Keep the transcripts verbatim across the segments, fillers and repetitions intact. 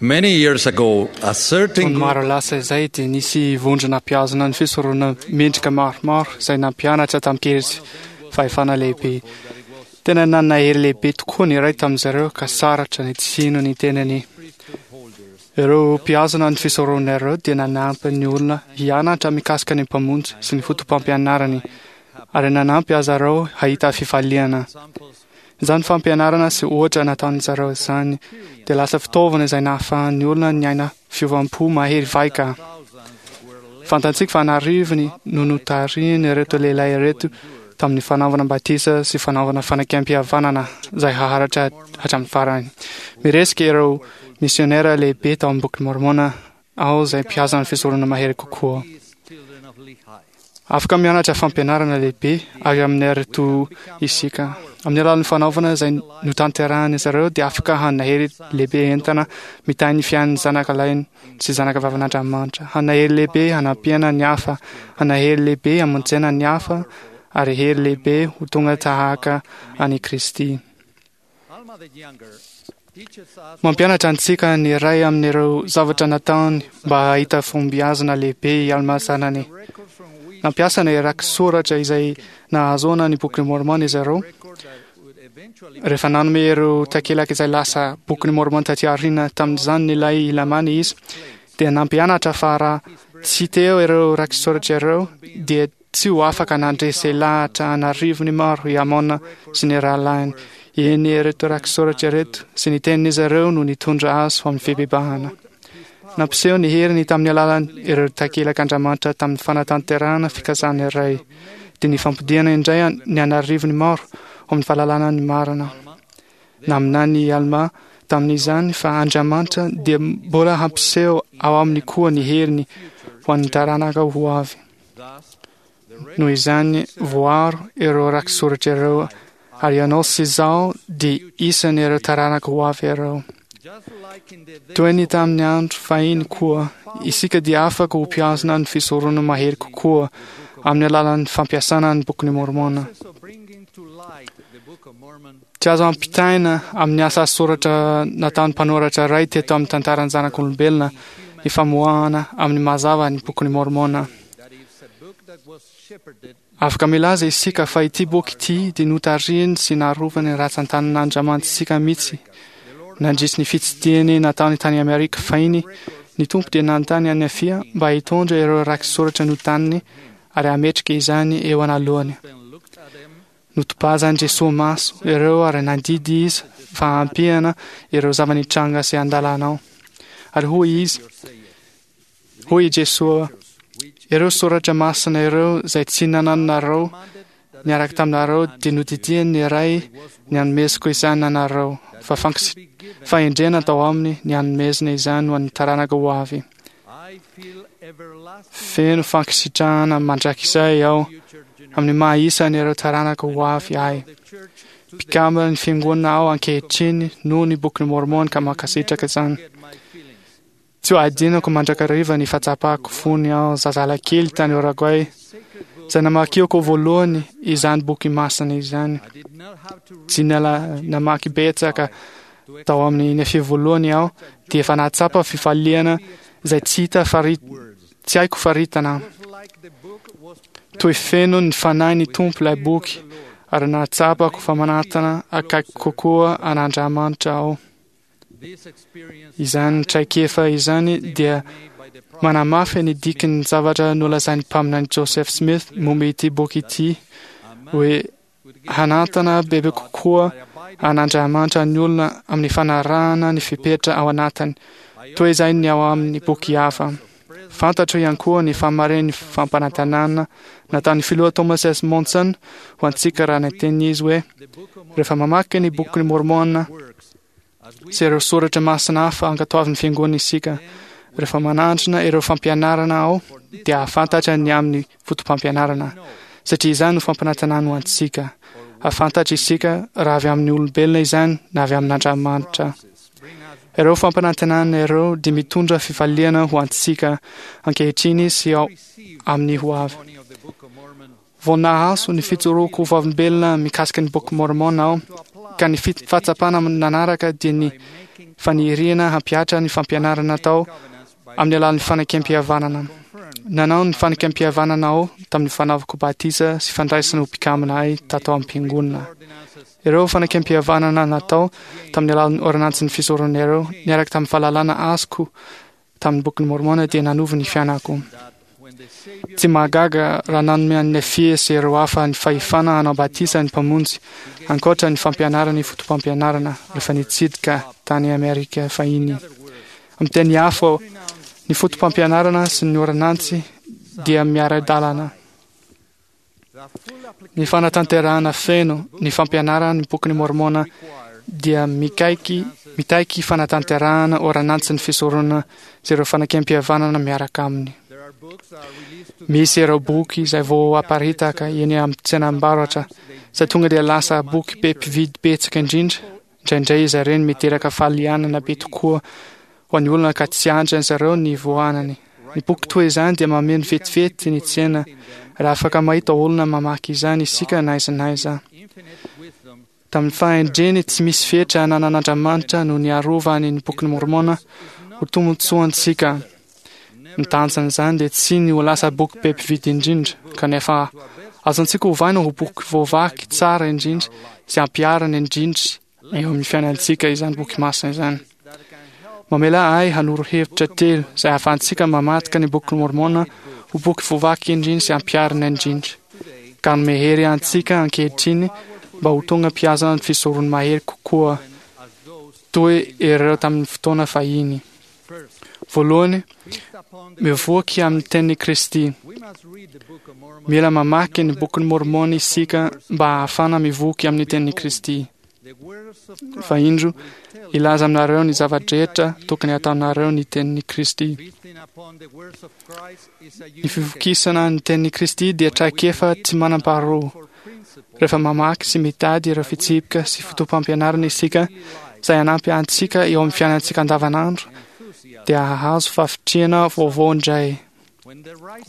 Many years ago, a certain Taona maro lasa izay dia nisy vondrona mpihazona ny fisoronana mendrika maromaro izay nampianatra tamin-kery sy fahefana lehibe. Tena nanana hery lehibe tokoa ny iray tamin'izareo ka sarotra ny tsy hino ny tenany. Ireo mpihazona ny fisoronana ireo dia nanampy ny olona hianatra mikasika ny Mpamonjy sy ny fotopampianarany ary nanampy azy ireo hahita fifaliana. Izany fampianarana sy ohatra nataon'izareo izany dia lasa fitaovana izay nahafahan'ny olona niaina fiovam-po mahery vaika. Fantatsika fa an'arivony no notarihiny ireto lehilahy ireto tamin'ny fanaovana batisa sy fanaovana fanekempihavanana izay haharitra hatramin'ny farany. Miresaka ireo misionera lehibe tao amin'ny Boky Mormona aho izay mpihazona ny fisoronana mahery kokoa. Afaka mianatra fampianarana lehibe avy amin'ireto isika. Amin'ny alalan'ny fanaovana izay notanterahan'izy ireo dia afaka hanana hery lehibe entina mitahy ny fiainan'ny zanaka lahiny sy zanaka vavin'Andriamanitra. Hanana hery lehibe hanampiana ny hafa, hanana hery lehibe hamonjena ny hafa ary hery lehibe ho tonga tahaka an'i Kristy. Mampianatra antsika ny iray amin'ireo zavatra nataony mba hahita fahombiazana lehibe i Alma zanany. Nampiasa ny raki-soratra izay nahazoana ny Bokin'i Mormon izy ireo. Rehefa nanome ireo takelaka izay lasa Bokin'i Mormon taty aoriana tamin'izany ilay Lamana izy, dia nampianatra fa raha tsy teo ireo raki-soratra ireo dia tsy ho afaka nandresy lahatra an'arivony maro i Amona sy ny rahalahiny. Eny, ireto raki-soratra ireto sy ny tenin'izy ireo no nitondra azy ho amin'ny fibebahana. Nampiseho ny heriny tamin'ny alalan' ireo takelak'Andriamanitra tamin'ny fanatanterahana fikasana iray, dia ny fampodiana indray ny an'arivony maro ho amin'ny fahalalana ny marina. Naminany i Alma tamin'izany fa Andriamanitra dia mbola hampiseho ao aminy koa ny heriny ho an'ny taranaka ho avy. Noho izany, voaro ireo raki-soratra ireo ary ianao sy izaho dia isan'ireo taranaka ho avy ireo. Toy ny tamin'ny andro fahiny koa, isika dia afaka ho mpihazona ny fisoronana mahery kokoa amin'ny alalan'ny fampiasana ny Bokin'i Mormona. Tsy azo ampitaina amin'ny asa soratra nataon'ny mpanoratra iray teto amin'ny tantaran'ny zanak'olombelona ny famoahana amin'ny mazava ny Bokin'i Mormona. Afaka milaza isika fa ity boky ity dia notarihiny sy narovany ratsan-tanan'Andriamanitsika mihitsy. Nandritry ny fitsidihany nataony tany Amerika fahiny, ny Tompo dia nanontany an'i Nefia mba hitondra ireo raki-soratra notaniny ary hametraka izany eo analohany. Notobazan'i Jesoa maso ireo ary nandidy izy fa hampiana ireo zava-nitranga sy andalanao. Ary hoy izy, hoy i Jesoa, ireo soratra masina ireo izay tsy nanananareo niaraka taminareo dia nodidian'ny Ray ny hanomezako izany anareo, fa fahendrena tao aminy ny hanomezana izany ho an'ny taranaka ho avy. Feno fankasitrahana mandrakizay aho amin'ny maha isan'ireo taranaka ho avy ahy. Mpikambana ny fiangonana aho ankehitriny noho ny Bokin'i Mormon ka mankasitraka izany. Tsy ho adinoko mandrakariva ny fahatsapako fony aho zazalahy kely tany Orogoay, izay namakiako voalohany izany boky masina izany. Tsy niala namaky betsaka tao amin'ny Nefia voalohany aho, dia efa nahatsapa fifaliana izay tsy hita fari tsy haiko faritana. Toy feno ny fanahy ny Tompo ilay boky, ary nahatsapako fa manatona akaiky kokoa an'Andriamanitra aho. Izany traikefa izany dia manamafy ny dikan'ny zavatra nolazain'ny mpaminany Joseph Smith momba ity boky ity hoe hanantana bebe kokoa an'Andriamanitra ny olona amin'ny fanarahana ny fepetra ao anatiny, toy izay ny ao amin'ny boky hafa. Fantatro ihany koa ny fahamarinan'ny fampanantenana nataon'ny filoha Thomas S. Monson ho antsika raha niteny izy hoe rehefa mamaky ny Bokin'i Mormona sy ireo soratra masina hafa ankatoavin'ny fiangonana isika, rehefa manandrana ireo fampianarana ao dia hahafantatra ny amin'ny fotopampianarana, satria izany no fampanantenana ho antsika. Hahafantatra isika raha avy amin'ny olombelona izany na avy amin'Andriamanitra. Ireo fampanantenana ireo dia mitondra fifaliana ho antsika ankehitriny sy ao amin'ny ho avy. Vao nahazo ny fijoroako ho vavolombelona mikasika ny Boky Môrmôna aho, ka ny fahatsapana nanaraka dia ny faniriana hampihatra ny fampianarana tao amin'ny alalan'ny fanekempihavanana. Nanao ny fanekempihavanana aho tamin'ny fanaovako batisa sy fandraisana ho mpikambana ahy tato am-piangonana. Ireo fanekempihavanana natao tamin'ny alalan'ny ôrdônansin'ny fisoronana ireo, niaraka tamin'ny fahalalana azoko tamin'ny Bokin'i Môrmôna, dia nanova ny fiainako. Tsy mahagaga raha nanome an'i Nefia sy ireo hafa ny fahefana hanao batisa ny Mpamonjy, ankoatra ny fampianarany fotopampianarana, rehefa nitsidika tany Amerika fahiny. Amin'ny teny hafa, ny fotopampianarana sy ny ôrdônansy dia miara-dalana. Ny fanatanterahana feno ny fampianaran'ny Bokin'i Môrmôna dia mikaiky mitaky fanatanterahana ôrdônansin'ny fisoronana sy ireo fanekempihavanana miaraka aminy. Misy ireo boky izay vao aparitaka eny amin'ny tsenam-barotra izay tonga dia lasa boky be mpividy betsaka indrindra. Indraindray izy ireny miteraka fahalianana be tokoa ho an'ny olona ka tsy andry zareo ny voanany. Ny boky toy izany dia mameno vetivety ny tsena raha afaka mahita olona mamaky izany isika na aiza na aiza. Tamin'ny fahendreny tsy misy fetra ananan'Andriamanitra no niarovany ny Bokin'i Môrmôna ho tombontsoantsika. Ny tanjon'izany dia tsy ny ho lasa boky be mpividy indrindra, kanefa azontsika ovaina ho boky voavaky tsara indrindra sy ampiharina indrindra eo amin'ny fiainantsika izany boky masina izany. Mamela ahy hanoro hevitra telo izay ahafahantsika mamadika ny Bokin'i Môrmôna ho boky voavaky indrindra sy ampiharina indrindra, ka hanome hery antsika ankehitriny mba ho tonga mpihazona ny fisoron'ny mahery kokoa toy ireo tamin'ny fotoana fahiny. Voalohany, mivoky amin'ny tenin'i Kristy. Mila mamaky ny Bokin'i Môrmôna isika mba hahafahana mivoky amin'ny tenin'i Kristy. Fa indro, hilaza aminareo ny zava-drehetra tokony hataonareo ny tenin'i Kristy. Ny fivokisana ny tenin'i Kristy dia traikefa tsy manam-paharoa. Rehefa mamaky sy mitady ireo fitsipika sy fotopampianarana isika izay hanampy antsika eo amin'ny fiainantsika andavanandro, dia hahazo fahavitrihana vaovao indray.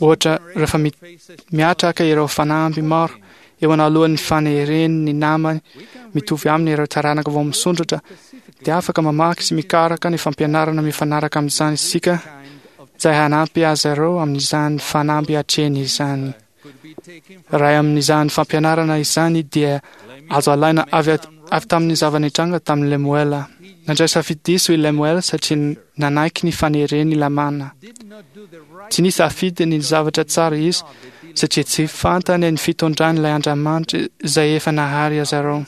Ohatra, rehefa miatraka ireo fanamby maro eo analohan'ny fanereny ny namany mitovy aminy ireo taranaka vao misondrotra, dia afaka mamaky sy mikaroka ny fampianarana mifanaraka amin'izany isika izay hanampy azy ireo amin'izany fanamby atrehiny izany. Iray amin'izany fampianarana izany dia azo alaina avy avy tamin'ny zava-nitranga tamin'i Lemoela. Nandray safidy diso i Lemoela satria nanaiky ny faneren'i Lamana. Tsy nisafidy ny zavatra tsara izy satria tsy fantany ny fitondran'ilay Andriamanitra izay efa nahary azy ireo.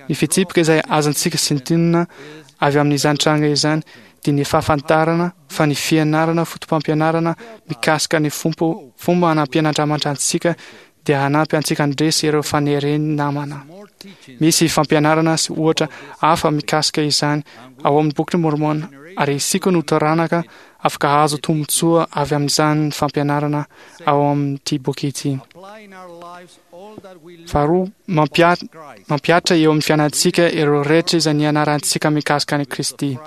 Ny fitsipika izay azontsika sintonina avy amin'izany tranga izany dia ny fahafantarana fa ny fianarana fotopampianarana mikasika ny fompo fomba hanampian'Andriamanitra antsika dia hanampy antsika handresy ireo faneren'ny namana. Misy fampianarana sy ohatra hafa mikasika izany ao amin'ny Bokin'i Môrmôna, ary isika no taranaka afaka hahazo tombontsoa avy amin'izany fampianarana ao amin'ity boky ity. Faharoa, mampihatra eo amin'ny fiainantsika ireo rehetra izay nianarantsika mikasika an'i Kristy.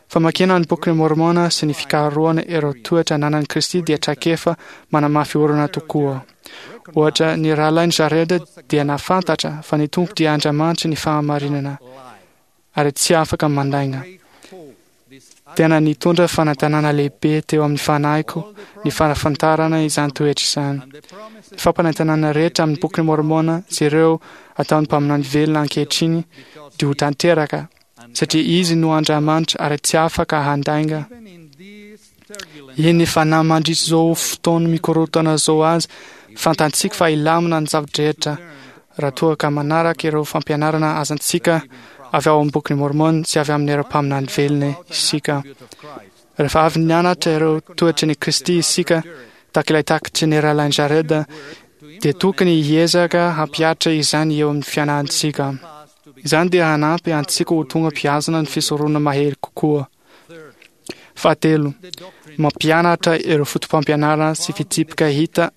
Famakiana ny Bokin'i Môrmôna sy ny fikarohana ireo toetra ananan'i Kristy dia traikefa manamafy orina tokoa. Ohatra, ny rahalahin'i Jareda dia nahafantatra fa ny Tompo dia Andriamanitry ny fahamarinana ary tsy afaka mandainga. Tena nitondra fanantenana lehibe teo amin'ny fanahiko ny fahafantarana izany toetra izany. Ny fampanantenana rehetra amin'ny Bokin'i Môrmôna sy ireo ataon'ny mpaminany velona ankehitriny dia ho tanteraka satria Izy no Andriamanitra ary tsy afaka handainga. Eny fa na mandritra izao fotoana mikorontana izao aza, fantantsika fa hilamina ny zava-drehetra raha toa ka manaraka ireo fampianarana azontsika avy ao amin'ny Bokin'i Môrmôna sy avy amin'ireo mpaminany velona isika. Rehefa avy nianatra ireo toetry ny Kristy isika, tahaka ilay takatry ny rahalahin'i Jareda, dia tokony hiezaka hampihatra izany eo amin'ny fiainantsika. Izany dia hanampy antsika ho tonga mpihazona ny fisoronana mahery kokoa. Fahatelo, mampianatra ireo fotopampianarana sy fitsipika hita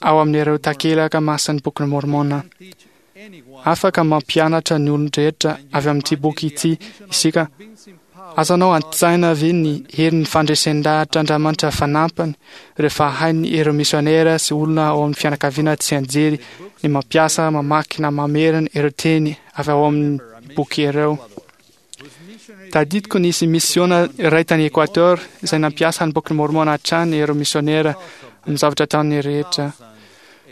ao amin'ireo takelaka masin'ny Bokin'i Môrmôna. Afaka mampianatra ny olon-drehetra avy amin'ity boky ity isika Azonao an-tsaina ve ny herin'ny fandresen-dahatr'Andriamanitra fanampiny rehefa hainy ireo misionera sy olona ao amin'ny fianakaviana tsy anjery ny mampiasa, mamaky na mamerina ireo teny avy ao amin'ny boky ireo? Tadidiko nisy misiona iray tany Equateur izay nampiasa ny Bokin'i Môrmôna hatrany ireo misionera amin'ny zavatra ataony rehetra.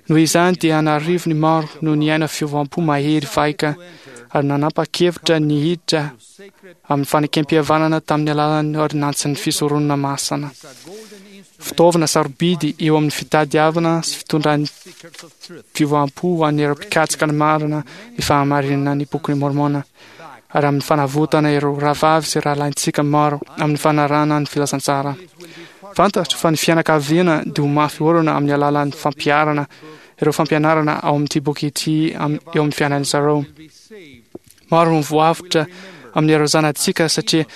Noho izany dia an'arivony maro no niaina fiovam-po mahery vaika ary nanapa-kevitra ny hiditra amin'ny fanekem-pihavanana tamin'ny alalan'ny ôrdônansin'ny fisoronana masina. Fitaovana sarobidy eo amin'ny fitadiavana sy fitondran'ny fiovam-po ho an'ireo mpikatsaka ny marina ny fahamarinana ny Bokin'i Môrmôna ary amin'ny fanavotana ireo rahavavy sy rahalahintsika maro amin'ny fanarahana ny filazantsara. Fantatro fa ny fianakaviana dia ho mafy orina amin'ny alalan'ny fampiharana ireo fampianarana ao amin'ity boky ity eo amin'ny fiainan'ny zareo. Maro no voavotra amin'ireo zanatsika satria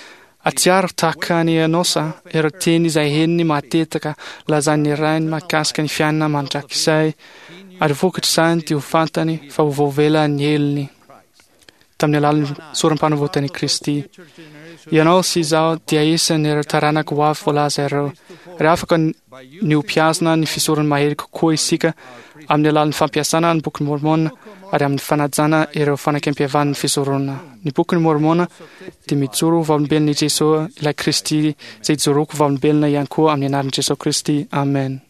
atsiaro tahaka ny Enosa ireo teny izay henony matetika lazain'ny rainy mahakasika ny fiainana mandrakizay, ary vokatr'izany dia ho fantany fa ho voavela ny helony tamin'ny alalan'ny sorom-panavotan'i Kristy. Ianao sy izaho dia isan'ireo taranaka ho avy voalaza ireo, ary afaka ny ho mpihazona ny fisoron'ny mahery kokoa isika amin'ny alalan'ny fampiasana ny Bokin'i Môrmôna ary amin'ny fanajana ireo fanekempihavan'ny fisoronana. Ny Bokin'i Môrmôna dia mijoro ho vavolombelon'i Jesoa, ilay Kristy, izay ijoroako vavolombelona ihany koa amin'ny anaran'i Jesoa Kristy. Amen.